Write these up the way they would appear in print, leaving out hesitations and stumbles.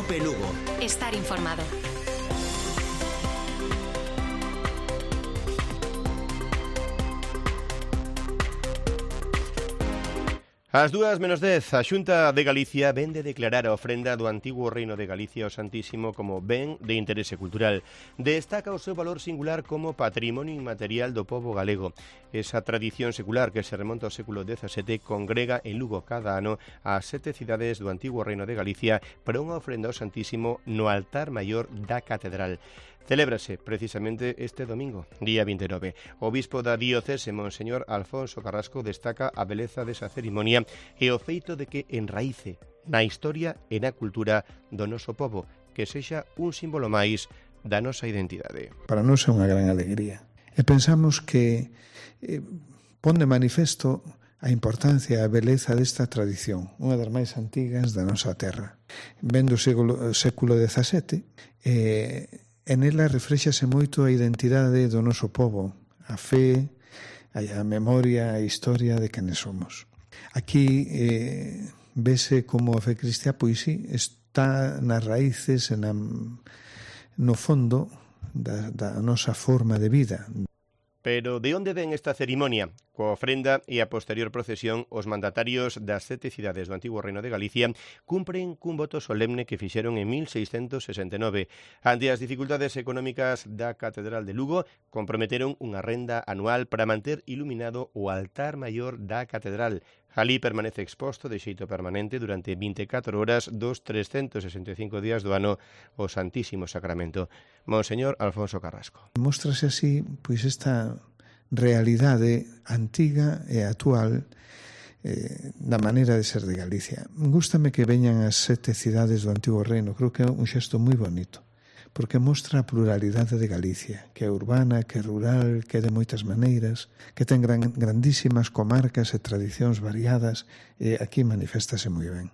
Cope Lugo. Estar informado. Ás 2:10, a Xunta de Galicia ven de declarar a ofrenda do antigo Reino de Galicia ao Santísimo como ben de interese cultural. Destaca o seu valor singular como patrimonio inmaterial do pobo galego. Esa tradición secular que se remonta ao século XVII congrega en Lugo cada ano as 7 cidades do antigo Reino de Galicia para unha ofrenda ao Santísimo no altar maior da catedral. Celébrase precisamente este domingo, día 29. O bispo da diocese, Monseñor Alfonso Carrasco, destaca a beleza desa cerimonia e o feito de que enraíce na historia e na cultura do noso pobo, que sexa un símbolo máis da nosa identidade. Para nós é unha gran alegría. E pensamos que pon de manifesto a importancia e a beleza desta tradición, unha das máis antigas da nosa terra. Vendo o século XVII, en ela refréxase moito a identidade do noso pobo, a fe, a memoria, a historia de quenes somos. Aquí vese como a fe cristiá, pois sí, está nas raíces e no fondo da nosa forma de vida. Pero de onde ven esta cerimonia? Coa ofrenda e a posterior procesión, os mandatarios das 7 cidades do antigo Reino de Galicia cumpren cun voto solemne que fixeron en 1669. Ante as dificultades económicas da Catedral de Lugo, comprometeron unha renda anual para manter iluminado o altar maior da Catedral. Alí permanece exposto de xeito permanente durante 24 horas dos 365 días do ano o Santísimo Sacramento. Monseñor Alfonso Carrasco. Móstrase así, pois, esta realidade antiga e actual da maneira de ser de Galicia. Gústame que veñan as 7 cidades do antigo reino, creo que é un xesto moi bonito, porque mostra a pluralidade de Galicia, que é urbana, que é rural, que é de moitas maneiras, que ten grandísimas comarcas e tradicións variadas, e aquí maniféstase moi ben.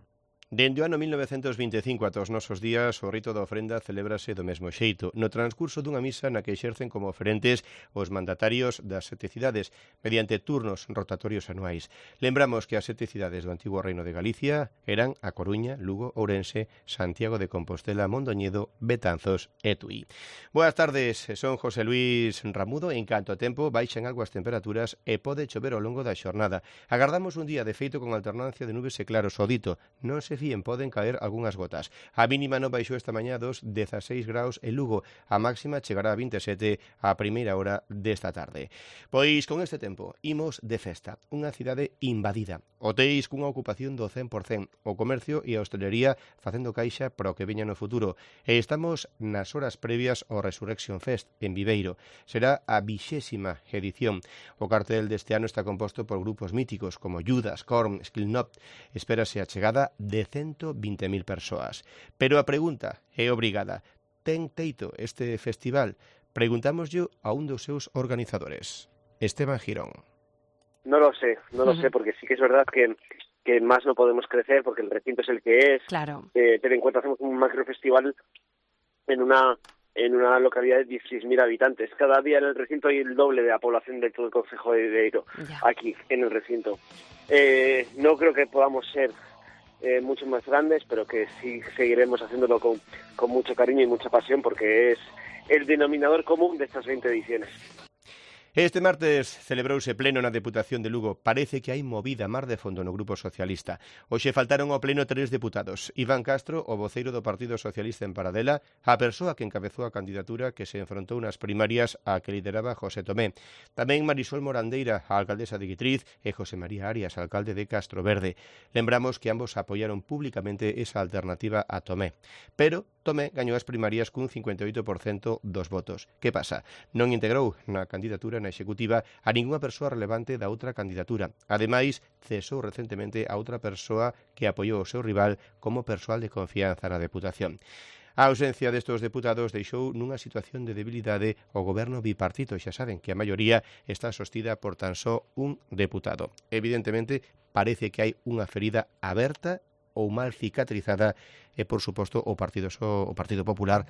Dende o ano 1925 ata os nosos días, o rito da ofrenda celébrase do mesmo xeito, no transcurso dunha misa na que exercen como oferentes os mandatarios das 7 cidades, mediante turnos rotatorios anuais. Lembramos que as 7 cidades do antigo Reino de Galicia eran A Coruña, Lugo, Ourense, Santiago de Compostela, Mondoñedo, Betanzos e Tui. Boas tardes, son José Luis Ramudo. En canto a tempo, baixan algo as temperaturas e pode chover ao longo da xornada. Agardamos un día de feito con alternancia de nubes e claros. O dito, non se poden caer algunhas gotas. A mínima non baixou esta mañá dos 16 graus en Lugo. A máxima chegará a 27 a primeira hora desta tarde. Pois con este tempo imos de festa. Unha cidade invadida. Hotéis cunha ocupación do 100%. O comercio e a hostelería facendo caixa para o que veña no futuro. E estamos nas horas previas ao Resurrection Fest en Viveiro. Será a 20ª edición. O cartel deste ano está composto por grupos míticos como Judas, Korn, Slipknot. Espérase a chegada de 120.000 persoas. Pero a pregunta é obrigada. Ten teito este festival? Preguntámoslle a un dos seus organizadores, Esteban Girón. No lo sé, porque sí que es verdad que más no podemos crecer porque el recinto es el que es. Claro. Ten en cuenta, hacemos un macrofestival en una localidad de 16.000 habitantes. Cada día en el recinto hay el doble de la población de todo el concejo de Viveiro, aquí, en el recinto. No creo que podamos ser mucho más grandes, pero que sí seguiremos haciéndolo con mucho cariño y mucha pasión, porque es el denominador común de estas 20 ediciones. Este martes celebrouse pleno na Deputación de Lugo. Parece que hai movida mar de fondo no Grupo Socialista. Hoxe faltaron ao pleno 3 deputados. Iván Castro, o voceiro do Partido Socialista en Paradela, a persoa que encabezou a candidatura que se enfrontou nas primarias a que lideraba José Tomé. Tamén Marisol Morandeira, a alcaldesa de Guitriz, e José María Arias, alcalde de Castroverde. Lembramos que ambos apoiaron públicamente esa alternativa a Tomé. Pero Tomé gañou as primarias cun 58% dos votos. Que pasa? Non integrou na candidatura na executiva a ningunha persoa relevante da outra candidatura. Ademais, cesou recentemente a outra persoa que apoiou o seu rival como persoal de confianza na Deputación. A ausencia destes deputados deixou nunha situación de debilidade o goberno bipartito. Xa saben que a maioría está sostida por tan só un deputado. Evidentemente, parece que hai unha ferida aberta ou mal cicatrizada e, por suposto, o Partido Popular,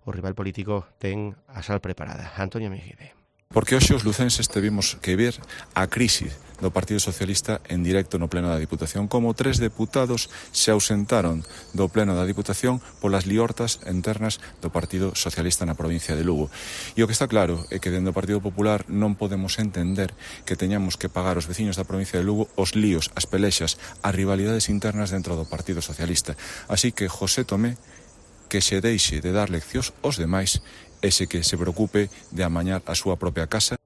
o rival político, ten a sal preparada. Antonio Mejide. Porque hoxe os lucenses tivemos que ver a crise do Partido Socialista en directo no Pleno da Diputación, como 3 deputados se ausentaron do Pleno da Diputación polas liortas internas do Partido Socialista na provincia de Lugo. E o que está claro é que dentro do Partido Popular non podemos entender que teñamos que pagar os veciños da provincia de Lugo os líos, as pelexas, as rivalidades internas dentro do Partido Socialista. Así que José Tomé que se deixe de dar leccións aos demais ese que se preocupe de amañar a súa propia casa.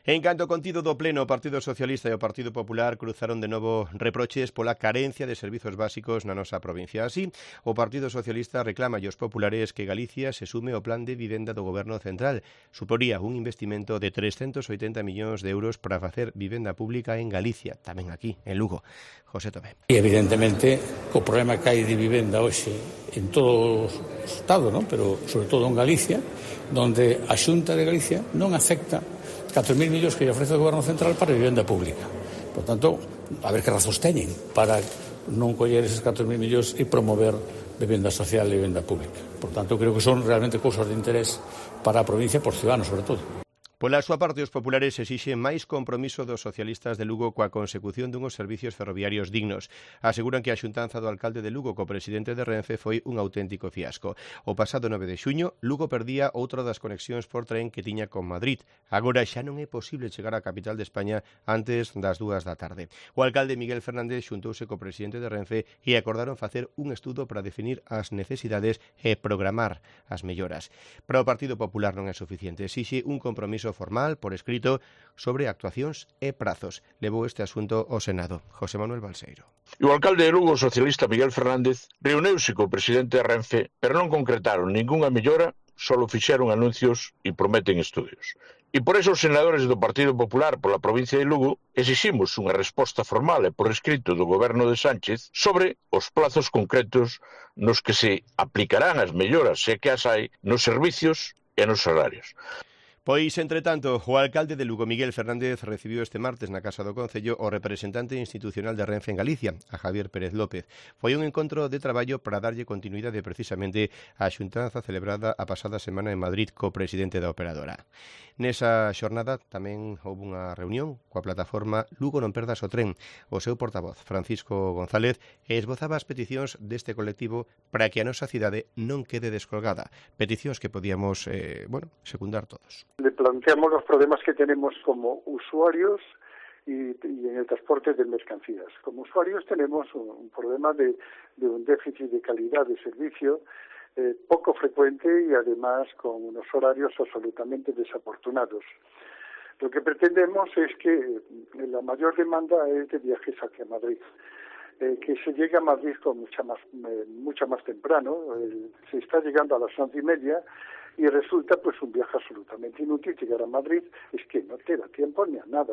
En canto ao contido do pleno, o Partido Socialista e o Partido Popular cruzaron de novo reproches pola carencia de servizos básicos na nosa provincia. Así, o Partido Socialista reclama aos populares que Galicia se sume ao plan de vivenda do Goberno Central. Suporía un investimento de 380 millóns de euros para facer vivenda pública en Galicia, tamén aquí, en Lugo. José Tomé. E evidentemente, o problema que hai de vivenda hoxe en todo o Estado, ¿no? Pero sobre todo en Galicia, donde a Xunta de Galicia non acepta 4.000 millóns que lle ofrece o Goberno Central para vivenda pública. Por tanto, a ver que razóns teñen para non coller eses 4.000 millóns e promover vivenda social e vivenda pública. Por tanto, creo que son realmente cousas de interés para a provincia, por ciudadanos, sobre todo. Pola súa parte, os populares exixen máis compromiso dos socialistas de Lugo coa consecución dunhos servicios ferroviarios dignos. Aseguran que a xuntanza do alcalde de Lugo co presidente de Renfe foi un auténtico fiasco. O pasado 9 de xuño, Lugo perdía outra das conexións por tren que tiña con Madrid. Agora xa non é posible chegar á capital de España antes das 2 da tarde. O alcalde Miguel Fernández xuntouse co presidente de Renfe e acordaron facer un estudo para definir as necesidades e programar as melloras. Para o Partido Popular non é suficiente. Exixe un compromiso formal, por escrito, sobre actuacións e prazos. Levou este asunto ao Senado. José Manuel Balseiro. O alcalde de Lugo, socialista Miguel Fernández, reuniuse co presidente de Renfe, pero non concretaron ningunha mellora, solo fixeron anuncios e prometen estudios. E por eso os senadores do Partido Popular pola provincia de Lugo exiximos unha resposta formal e por escrito do goberno de Sánchez sobre os plazos concretos nos que se aplicarán as melloras, se que as hai, nos servicios e nos horarios. Pois, entre tanto, o alcalde de Lugo, Miguel Fernández, recibiu este martes na Casa do Concello o representante institucional de Renfe en Galicia, a Javier Pérez López. Foi un encontro de traballo para darlle continuidade precisamente á xuntanza celebrada a pasada semana en Madrid co presidente da operadora. Nesa xornada tamén houve unha reunión coa plataforma Lugo non perdas o tren. O seu portavoz, Francisco González, esbozaba as peticións deste colectivo para que a nosa cidade non quede descolgada. Peticións que podíamos, secundar todos. Le planteamos los problemas que tenemos como usuarios y en el transporte de mercancías. Como usuarios tenemos un problema de un déficit de calidad de servicio poco frecuente y además con unos horarios absolutamente desafortunados. Lo que pretendemos es que la mayor demanda es de viajes hacia Madrid. Que se llegue a Madrid con mucha más temprano. Se está llegando a las 11:30 y resulta pues un viaje absolutamente inútil. Llegar a Madrid es que no te da tiempo ni a nada.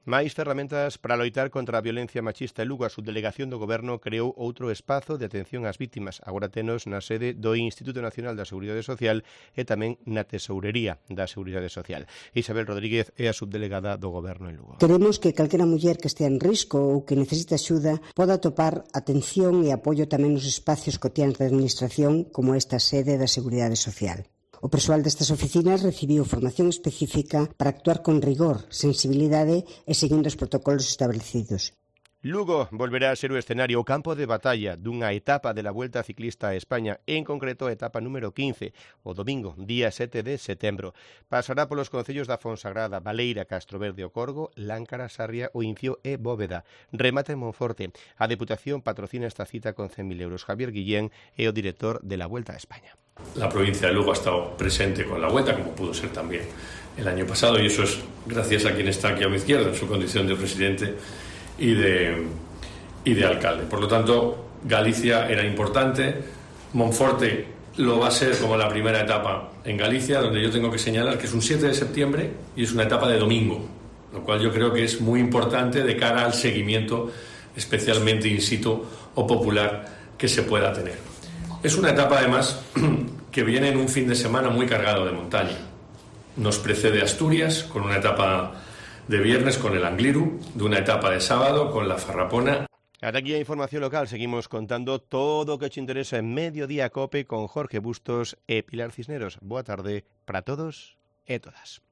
Máis ferramentas para loitar contra a violencia machista en Lugo. A subdelegación do Goberno creou outro espazo de atención ás vítimas. Agora tenos na sede do Instituto Nacional da Seguridade Social e tamén na Tesourería da Seguridade Social. Isabel Rodríguez é a subdelegada do Goberno en Lugo. Queremos que calquera muller que estea en risco ou que necesite axuda poda atopar atención e apoio tamén nos espacios cotiáns da Administración como esta sede da Seguridade Social. O persoal destas oficinas recibiu formación específica para actuar con rigor, sensibilidade e seguindo os protocolos establecidos. Lugo volverá a ser o escenario, o campo de batalla dunha etapa de la Vuelta Ciclista a España, en concreto a etapa número 15, o domingo, día 7 de setembro. Pasará polos concellos da Fonsagrada, Baleira, Castroverde o Corgo, Láncara, Sarria, o Incio e Bóveda. Remata en Monforte. A Deputación patrocina esta cita con 100.000 euros. Javier Guillén é o director de la Vuelta a España. La provincia de Lugo ha estado presente con la Vuelta, como pudo ser también el año pasado, y eso es gracias a quien está aquí a mi izquierda, en su condición de presidente y de alcalde. Por lo tanto, Galicia era importante. Monforte lo va a ser como la primera etapa en Galicia, donde yo tengo que señalar que es un 7 de septiembre y es una etapa de domingo, lo cual yo creo que es muy importante de cara al seguimiento, especialmente in situ o popular, que se pueda tener. Es una etapa, además, que viene en un fin de semana muy cargado de montaña. Nos precede Asturias, con una etapa de viernes con el Angliru, de una etapa de sábado con la Farrapona. Ata aquí a información local. Seguimos contando todo o que te interesa en Mediodía Cope con Jorge Bustos e Pilar Cisneros. Boa tarde para todos e todas.